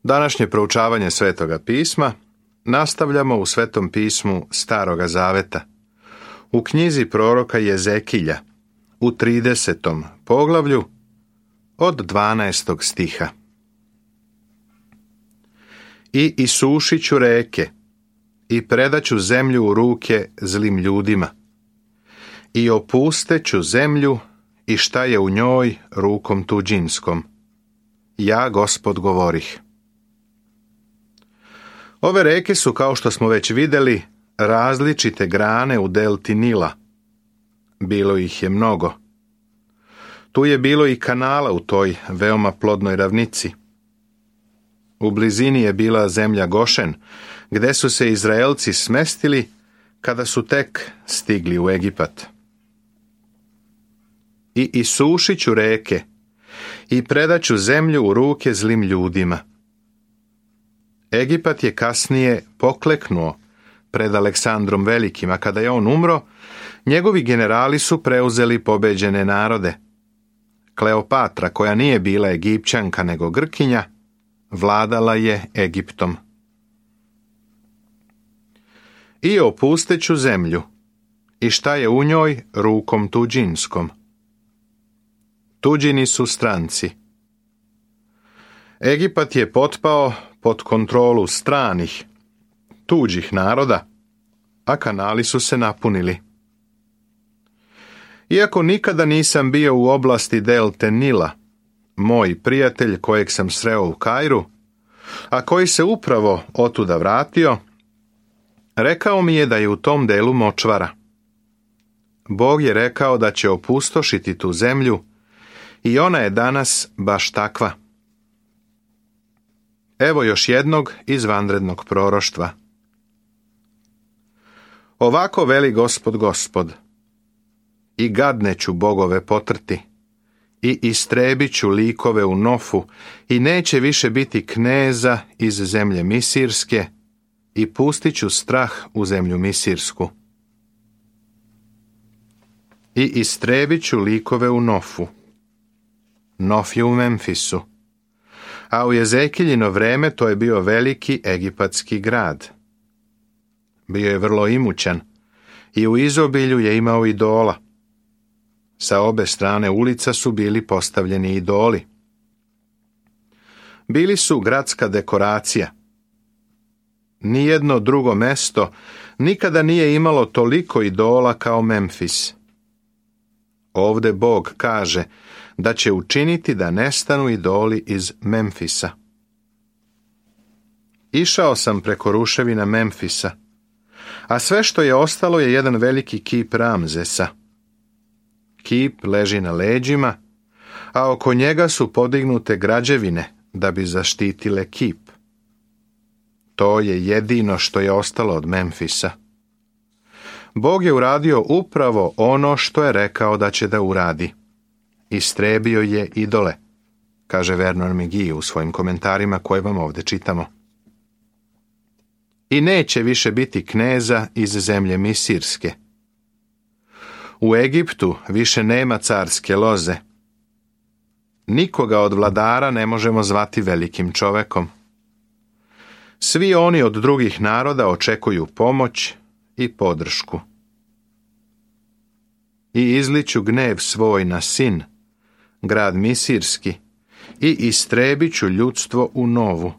Današnje proučavanje Svetoga pisma nastavljamo u Svetom pismu Staroga zaveta, u knjizi proroka Jezekilja, u 30. poglavlju od 12. stiha. I isušit ću reke, i predaću zemlju u ruke zlim ljudima, i opusteću zemlju i šta je u njoj rukom tuđinskom. Ja, Gospod, govorih. Ove reke su, kao što smo već vidjeli, različite grane u delti Nila. Bilo ih je mnogo. Tu je bilo i kanala u toj veoma plodnoj ravnici. U blizini je bila zemlja Gošen, gde su se Izraelci smestili kada su tek stigli u Egipat. I isušit ću reke, i predaću zemlju u ruke zlim ljudima. Egipat je kasnije pokleknuo pred Aleksandrom Velikim, a kada je on umro, njegovi generali su preuzeli pobeđene narode. Kleopatra, koja nije bila Egipćanka nego Grkinja, vladala je Egiptom. I opusteću zemlju, i šta je u njoj rukom tuđinskom. Tuđini su stranci. Egipat je potpao pod kontrolu stranih, tuđih naroda, a kanali su se napunili. Iako nikada nisam bio u oblasti delte Nila, moj prijatelj kojeg sam sreo u Kairu, a koji se upravo otuda vratio, rekao mi je da je u tom delu močvara. Bog je rekao da će opustošiti tu zemlju i ona je danas baš takva. Evo još jednog izvanrednog proroštva. Ovako veli Gospod, Gospod, i gadne ću bogove potrti, i istrebit ću likove u Nofu, i neće više biti kneza iz zemlje Misirske, i pustit ću strah u zemlju Misirsku. I istrebit ću likove u Nofu. Nof je u Memfisu. A u Jezekiljino vreme to je bio veliki egipatski grad. Bio je vrlo imućan i u izobilju je imao idola. Sa obe strane ulica su bili postavljeni idoli. Bili su gradska dekoracija. Nijedno drugo mesto nikada nije imalo toliko idola kao Memfis. Ovde Bog kaže da će učiniti da nestanu idoli iz Memfisa. Išao sam preko ruševina Memfisa, a sve što je ostalo je jedan veliki kip Ramzesa. Kip leži na leđima, a oko njega su podignute građevine da bi zaštitile kip. To je jedino što je ostalo od Memfisa. Bog je uradio upravo ono što je rekao da će da uradi. Istrebio je idole, kaže Vernon McGee u svojim komentarima koje vam ovdje čitamo. I neće više biti kneza iz zemlje Misirske. U Egiptu više nema carske loze. Nikoga od vladara ne možemo zvati velikim čovekom. Svi oni od drugih naroda očekuju pomoć i podršku. I izliću gnev svoj na Sin, grad Misirski, i istrebit ću ljudstvo u Novu.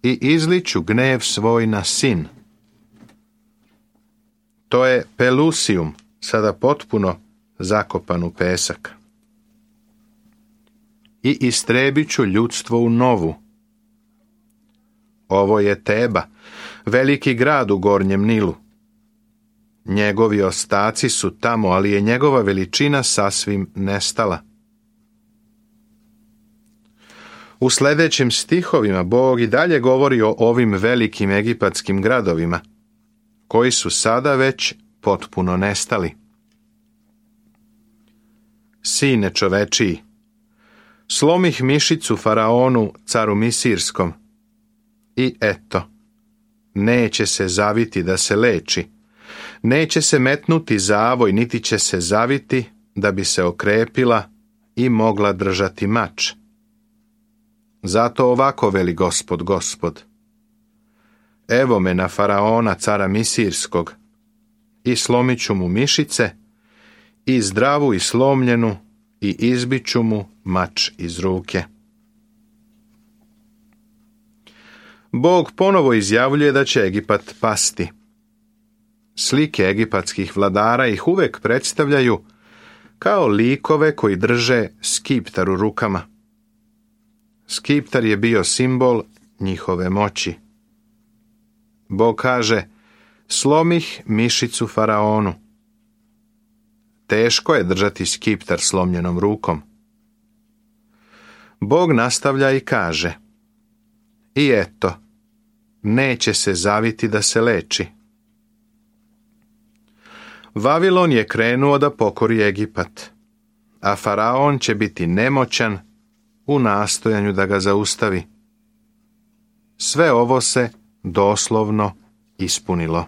I izliću gnev svoj na Sin. To je Pelusium, sada potpuno zakopan u pesak. I istrebit ću ljudstvo u Novu. Ovo je Teba, veliki grad u Gornjem Nilu. Njegovi ostaci su tamo, ali je njegova veličina sasvim nestala. U sljedećim stihovima Bog i dalje govori o ovim velikim egipatskim gradovima, koji su sada već potpuno nestali. Sine čovečiji, slomih mišicu faraonu, caru Misirskom, i eto, neće se zaviti da se leči, neće se metnuti zavoj, niti će se zaviti da bi se okrepila i mogla držati mač. Zato ovako veli Gospod, Gospod. Evo me na faraona, cara Misirskog, i slomit ću mu mišice, i zdravu i slomljenu, i izbit ću mu mač iz ruke. Bog ponovo izjavljuje da će Egipat pasti. Slike egipatskih vladara ih uvek predstavljaju kao likove koji drže skiptar u rukama. Skiptar je bio simbol njihove moći. Bog kaže, slomih mišicu faraonu. Teško je držati skiptar slomljenom rukom. Bog nastavlja i kaže, i eto, neće se zaviti da se leči. Vavilon je krenuo da pokori Egipat, a faraon će biti nemoćan u nastojanju da ga zaustavi. Sve ovo se doslovno ispunilo.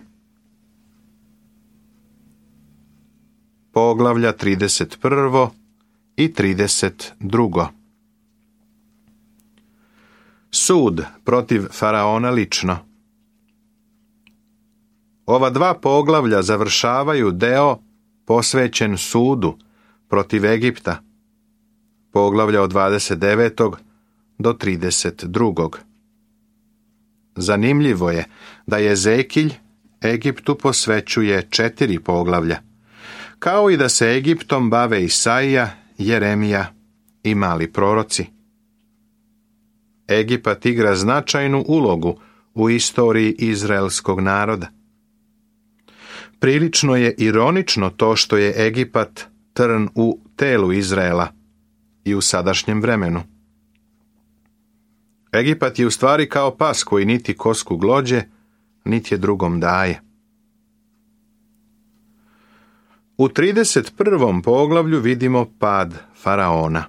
Poglavlja 31. i 32. Sud protiv faraona lično. Ova dva poglavlja završavaju deo posvećen sudu protiv Egipta, poglavlja od 29. do 32. Zanimljivo je da Jezekilj Egiptu posvećuje 4 poglavlja, kao i da se Egiptom bave Isaija, Jeremija i mali proroci. Egipat igra značajnu ulogu u istoriji izraelskog naroda. Prilično je ironično to što je Egipat trn u telu Izraela i u sadašnjem vremenu. Egipat je u stvari kao pas koji niti kosku glođe, niti je drugom daje. U 31. poglavlju vidimo pad faraona.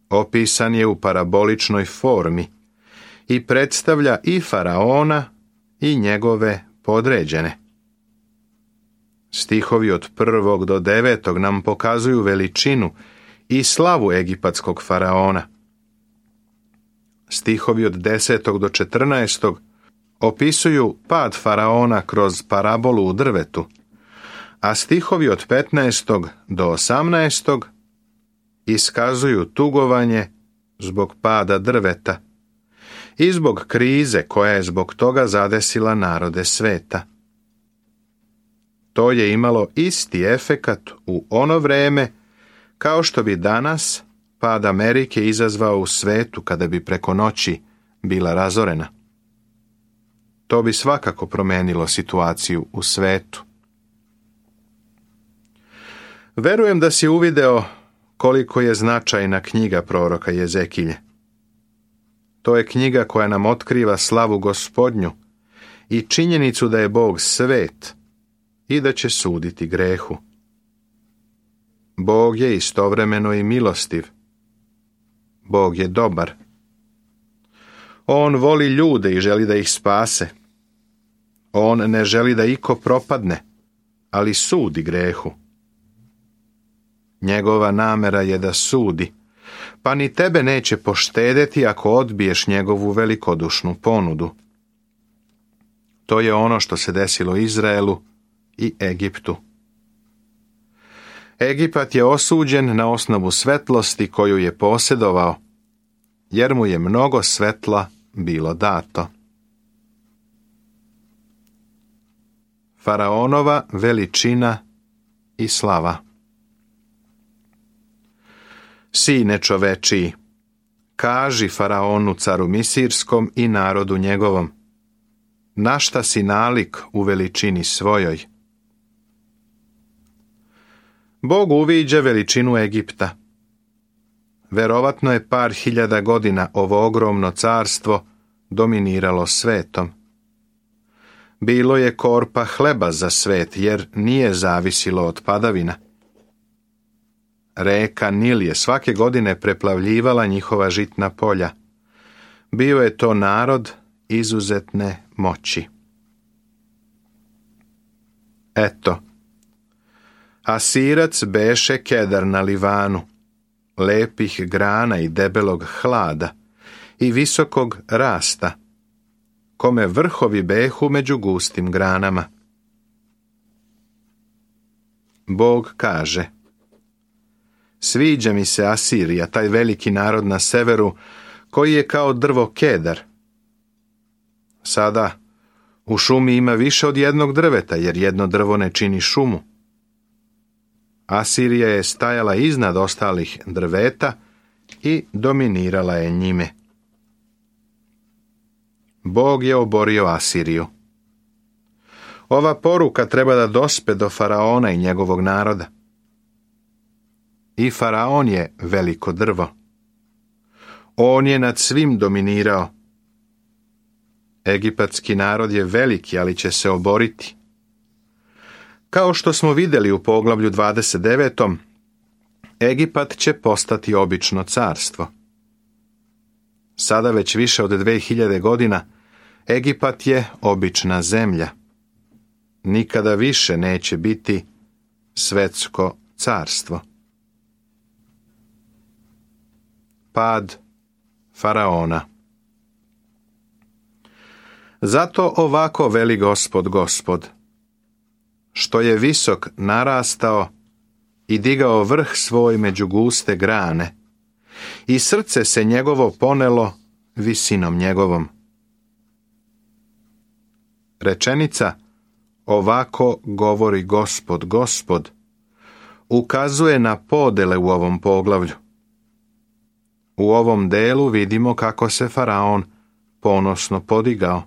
Opisan je u paraboličnoj formi i predstavlja i faraona i njegove podređene. Stihovi od 1. do 9. nam pokazuju veličinu i slavu egipatskog faraona. Stihovi od 10. do 14. opisuju pad faraona kroz parabolu u drvetu, a stihovi od 15. do 18. iskazuju tugovanje zbog pada drveta i zbog krize koja je zbog toga zadesila narode sveta. To je imalo isti efekat u ono vreme kao što bi danas pad Amerike izazvao u svetu kada bi preko noći bila razorena. To bi svakako promenilo situaciju u svetu. Verujem da si uvideo koliko je značajna knjiga proroka Jezekilje. To je knjiga koja nam otkriva slavu Gospodnju i činjenicu da je Bog svet i da će suditi grehu. Bog je istovremeno i milostiv. Bog je dobar. On voli ljude i želi da ih spase. On ne želi da iko propadne, ali sudi grehu. Njegova namera je da sudi, pa ni tebe neće poštedeti ako odbiješ njegovu velikodušnu ponudu. To je ono što se desilo Izraelu i Egiptu. Egipat je osuđen na osnovu svetlosti koju je posjedovao, jer mu je mnogo svetla bilo dato. Faraonova veličina i slava. Sine čovečiji, kaži faraonu caru Misirskom i narodu njegovom, na šta si nalik u veličini svojoj? Bog uviđa veličinu Egipta. Verovatno je par hiljada godina ovo ogromno carstvo dominiralo svetom. Bilo je korpa hleba za svet, jer nije zavisilo od padavina. Reka Nil je svake godine preplavljivala njihova žitna polja. Bio je to narod izuzetne moći. Eto, Asirac beše Kedar na Livanu, lepih grana i debelog hlada i visokog rasta, kome vrhovi behu među gustim granama. Bog kaže: sviđa mi se Asirija, taj veliki narod na severu, koji je kao drvo kedar. Sada u šumi ima više od jednog drveta, jer jedno drvo ne čini šumu. Asirija je stajala iznad ostalih drveta i dominirala je njime. Bog je oborio Asiriju. Ova poruka treba da dospe do faraona i njegovog naroda. I faraon je veliko drvo. On je nad svim dominirao. Egipatski narod je veliki, ali će se oboriti. Kao što smo vidjeli u poglavlju 29. Egipat će postati obično carstvo. Sada već više od 2000 godina Egipat je obična zemlja. Nikada više neće biti svetsko carstvo. Pad faraona. Zato ovako veli Gospod, što je visok narastao i digao vrh svoj među guste grane, i srce se njegovo ponelo visinom njegovom. Rečenica ovako govori Gospod ukazuje na podele u ovom poglavlju. U ovom delu vidimo kako se faraon ponosno podigao.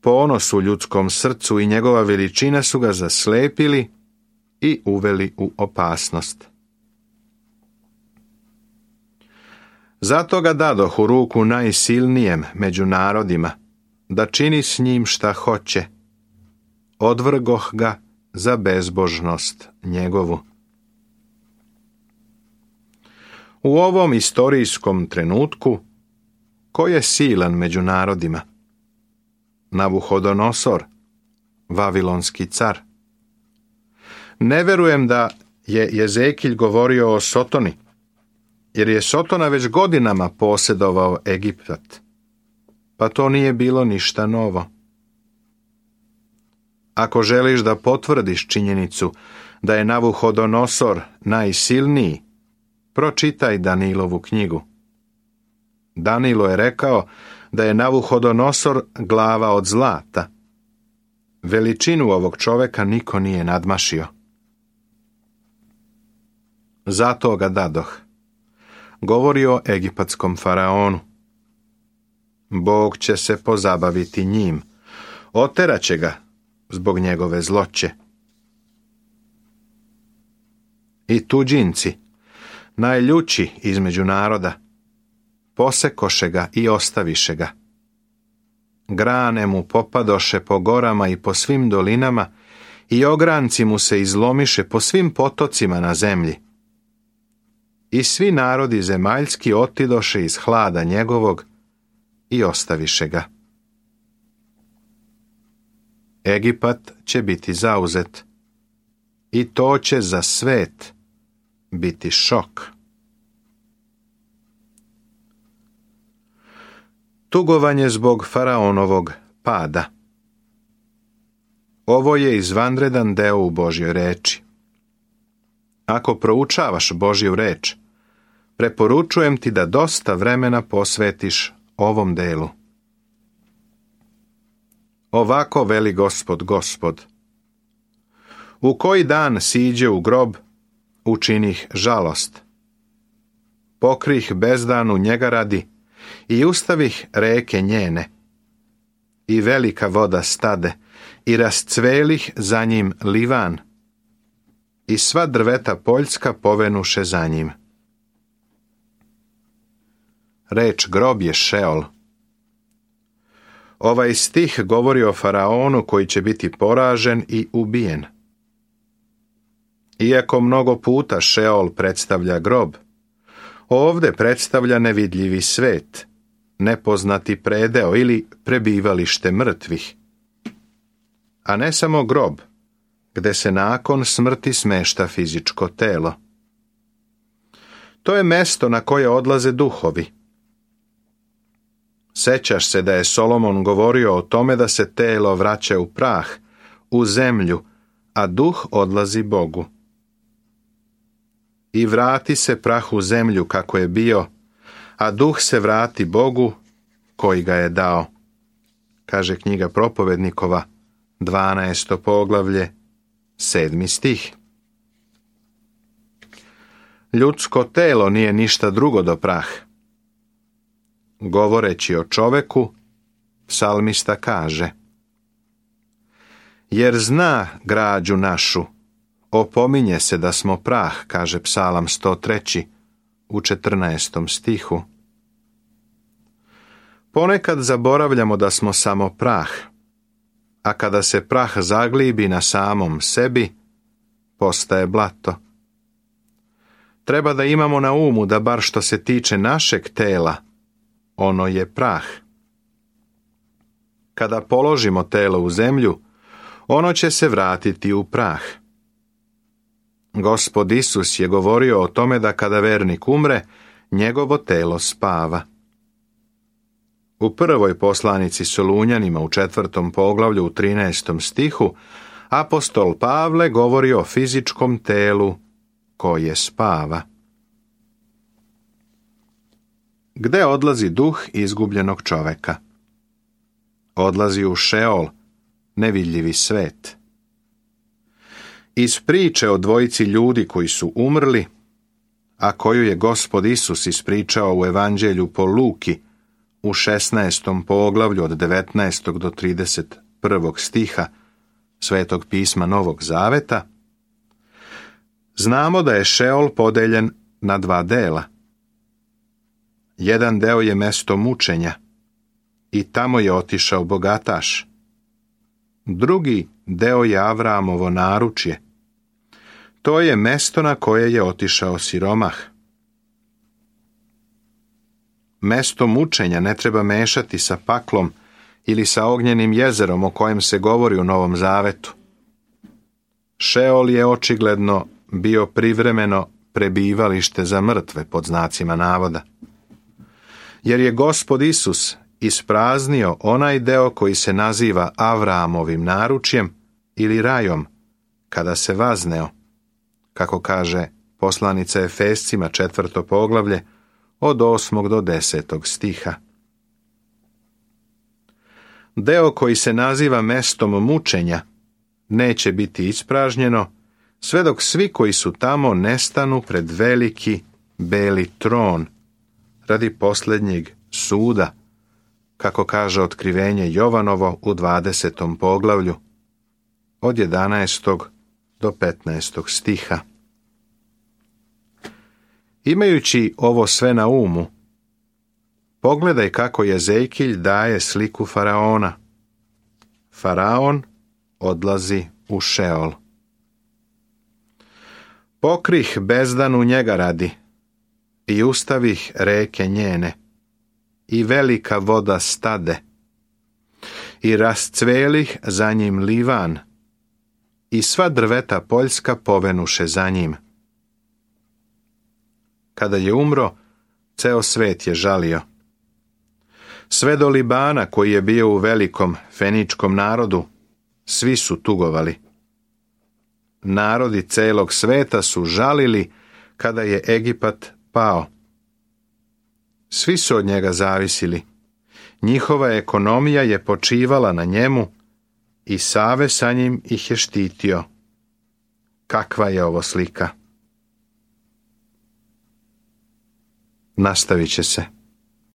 Ponos u ljudskom srcu i njegova veličina su ga zaslepili i uveli u opasnost. Zato ga dadoh u ruku najsilnijem među narodima, da čini s njim šta hoće. Odvrgoh ga za bezbožnost njegovu. U ovom istorijskom trenutku, ko je silan među narodima? Navuhodonosor, vavilonski car. Ne verujem da je Jezekilj govorio o Sotoni, jer je Sotona već godinama posjedovao Egipat, pa to nije bilo ništa novo. Ako želiš da potvrdiš činjenicu da je Navuhodonosor najsilniji, pročitaj Danilovu knjigu. Danilo je rekao da je Navuhodonosor glava od zlata. Veličinu ovog čoveka niko nije nadmašio. Zato ga dadoh. Govori o egipatskom faraonu. Bog će se pozabaviti njim. Oteraće ga zbog njegove zloće. I tuđinci, najljući između naroda, posekoše ga i ostaviše ga. Grane mu popadoše po gorama i po svim dolinama i ogranci mu se izlomiše po svim potocima na zemlji. I svi narodi zemaljski otidoše iz hlada njegovog i ostaviše ga. Egipat će biti zauzet i to će za svet biti šok. Tugovanje zbog faraonovog pada. Ovo je izvanredan deo u Božjoj reči. Ako proučavaš Božju reč, preporučujem ti da dosta vremena posvetiš ovom delu. Ovako veli Gospod. U koji dan siđe u grob, učinih žalost. Pokrih bezdanu njega radi i ustavih reke njene. I velika voda stade i rascvelih za njim livan. I sva drveta poljska povenuše za njim. Reč grob je Šeol. Ovaj stih govori o faraonu koji će biti poražen i ubijen. Iako mnogo puta Šeol predstavlja grob, ovdje predstavlja nevidljivi svet, nepoznati predeo ili prebivalište mrtvih. A ne samo grob, gde se nakon smrti smešta fizičko telo. To je mesto na koje odlaze duhovi. Sećaš se da je Solomon govorio o tome da se telo vraća u prah, u zemlju, a duh odlazi Bogu. I vrati se prah u zemlju kako je bio, a duh se vrati Bogu koji ga je dao, kaže knjiga Propovednikova, 12. poglavlje, 7. stih. Ljudsko telo nije ništa drugo do prah. Govoreći o čoveku, psalmista kaže: jer zna građu našu, opominje se da smo prah, kaže psalam 103. u 14. stihu. Ponekad zaboravljamo da smo samo prah, a kada se prah zaglibi na samom sebi, postaje blato. Treba da imamo na umu da bar što se tiče našeg tela, ono je prah. Kada položimo telo u zemlju, ono će se vratiti u prah. Gospod Isus je govorio o tome da kada vernik umre, njegovo telo spava. U prvoj poslanici Solunjanima u 4. poglavlju u 13. stihu apostol Pavle govori o fizičkom telu koje spava. Gde odlazi duh izgubljenog čoveka? Odlazi u Šeol, nevidljivi svet. Iz priče o dvojici ljudi koji su umrli, a koju je Gospod Isus ispričao u Evanđelju po Luki u 16. poglavlju od 19. do 31. stiha Svetog pisma Novog Zaveta, znamo da je Šeol podeljen na dva dela. Jedan deo je mesto mučenja i tamo je otišao bogataš. Drugi deo je Avramovo naručje. To je mesto na koje je otišao siromah. Mesto mučenja ne treba mešati sa paklom ili sa ognjenim jezerom o kojem se govori u Novom Zavetu. Šeol je očigledno bio privremeno prebivalište za mrtve, pod znacima navoda. Jer je Gospod Isus ispraznio onaj deo koji se naziva Avramovim naručjem ili rajom, kada se vazneo, kako kaže poslanica Efescima 4. poglavlje od 8. do 10. stiha. Deo koji se naziva mestom mučenja neće biti ispražnjeno sve dok svi koji su tamo ne stanu pred veliki beli tron radi posljednjeg suda, kako kaže otkrivenje Jovanovo u 20. poglavlju od 11. do 15. stiha. Imajući ovo sve na umu, pogledaj kako Jezejkilj daje sliku faraona. Faraon odlazi u Šeol. Pokrih bezdanu njega radi i ustavih reke njene i velika voda stade i rascvelih za njim livan i sva drveta poljska povenuše za njim. Kada je umro, ceo svet je žalio. Sve do Libana koji je bio u velikom feničkom narodu, svi su tugovali. Narodi celog sveta su žalili kada je Egipat pao. Svi su od njega zavisili. Njihova ekonomija je počivala na njemu i Save sa njim ih je štitio. Kakva je ovo slika? Nastavit će se.